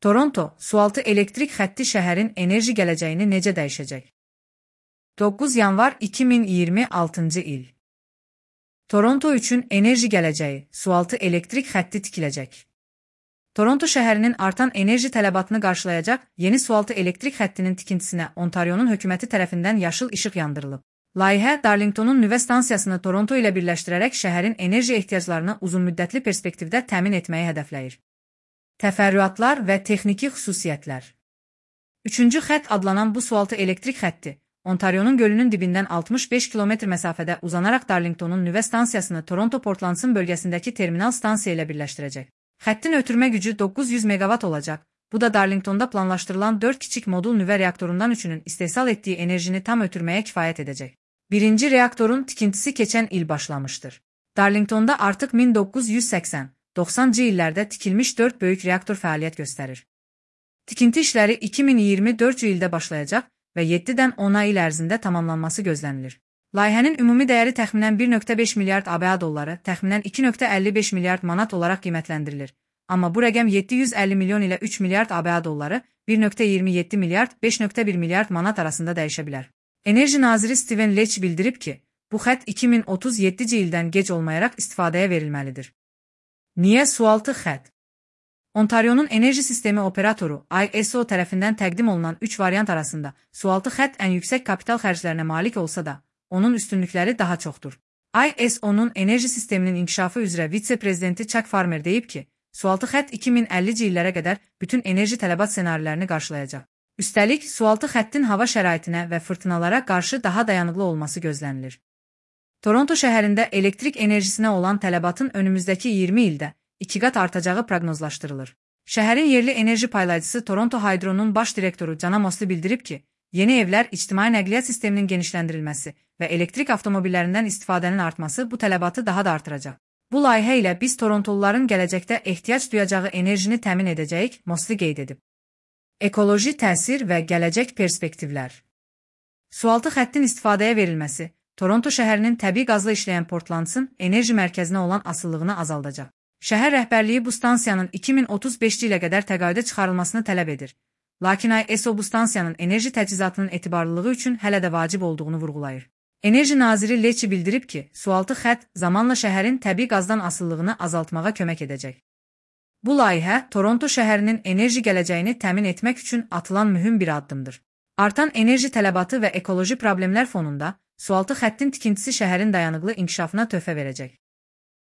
Toronto, sualtı elektrik xətti şəhərin enerji gələcəyini necə dəyişəcək? 9 yanvar 2026-cı il. Toronto üçün enerji gələcəyi, sualtı elektrik xətti tikiləcək. Toronto şəhərinin artan enerji tələbatını qarşılayacaq yeni sualtı elektrik xəttinin tikintisinə Ontarionun hökuməti tərəfindən yaşıl işıq yandırılıb. Layihə Darlingtonun nüvə stansiyasını Toronto ilə birləşdirərək şəhərin enerji ehtiyaclarını uzunmüddətli perspektivdə təmin etməyi hədəfləyir. Təfərrüatlar və texniki xüsusiyyətlər. 3-cü xətt adlanan bu sualtı elektrik xətti, Ontarionun gölünün dibindən 65 kilometr məsafədə uzanaraq Darlingtonun nüvə stansiyasını Toronto Portlandson bölgəsindəki terminal stansiya ilə birləşdirəcək. Xəttin ötürmə gücü 900 meqavat olacaq. Bu da Darlingtonda planlaşdırılan 4 kiçik modul nüvə reaktorundan üçünün istehsal etdiyi enerjini tam ötürməyə kifayət edəcək. Birinci reaktorun tikintisi keçən il başlamışdır. Darlingtonda artıq 1980-90-cı illərdə tikilmiş 4 böyük reaktor fəaliyyət göstərir. Tikinti işləri 2024-cü ildə başlayacaq və 7-dən 10 il ərzində tamamlanması gözlənilir. Layihənin ümumi dəyəri təxminən 1,5 milyard ABA dolları, təxminən 2,55 milyard manat olaraq qiymətləndirilir. Amma bu rəqəm 750 milyon ilə 3 milyard ABA dolları, 1,27 milyard, 5,1 milyard manat arasında dəyişə bilər. Enerji naziri Steven Leach bildirib ki, bu xətt 2037-ci ildən gec olmayaraq istifadəyə verilməlidir. Niyə sualtı xətt? Ontarionun enerji sistemi operatoru ISO tərəfindən təqdim olunan 3 variant arasında sualtı xətt ən yüksək kapital xərclərinə malik olsa da, onun üstünlükləri daha çoxdur. ISO-nun enerji sisteminin inkişafı üzrə vitse-prezidenti Chuck Farmer deyib ki, sualtı xətt 2050-ci illərə qədər bütün enerji tələbat ssenarilərini qarşılayacaq. Üstəlik, sualtı xəttin hava şəraitinə və fırtınalara qarşı daha dayanıqlı olması gözlənilir. Toronto şəhərində elektrik enerjisinə olan tələbatın önümüzdəki 20 ildə 2 qat artacağı proqnozlaşdırılır. Şəhərin yerli enerji paylayıcısı Toronto Hydro'nun baş direktoru Cana Mosley bildirib ki, yeni evlər, ictimai nəqliyyat sisteminin genişləndirilməsi və elektrik avtomobillərindən istifadənin artması bu tələbatı daha da artıracaq. Bu layihə ilə biz Torontoluların gələcəkdə ehtiyac duyacağı enerjini təmin edəcəyik, Mosley qeyd edib. Ekoloji təsir və gələcək perspektivlər. Sualtı xəttin istifadəyə verilməsi, Toronto şəhərinin təbii qazla işləyən Portlandson enerji mərkəzinə olan asılılığını azaldacaq. Şəhər rəhbərliyi bu stansiyanın 2035-ci ilə qədər təqaüdə çıxarılmasını tələb edir. Lakin ISO bu stansiyanın enerji təchizatının etibarlılığı üçün hələ də vacib olduğunu vurğulayır. Enerji naziri Leach bildirib ki, sualtı xətt zamanla şəhərin təbii qazdan asılılığını azaltmağa kömək edəcək. Bu layihə Toronto şəhərinin enerji gələcəyini təmin etmək üçün atılan mühüm bir addımdır. Artan enerji tələbatı və ekoloji problemlər fonunda sualtı xəttin tikintisi şəhərin dayanıqlı inkişafına töhfə verəcək.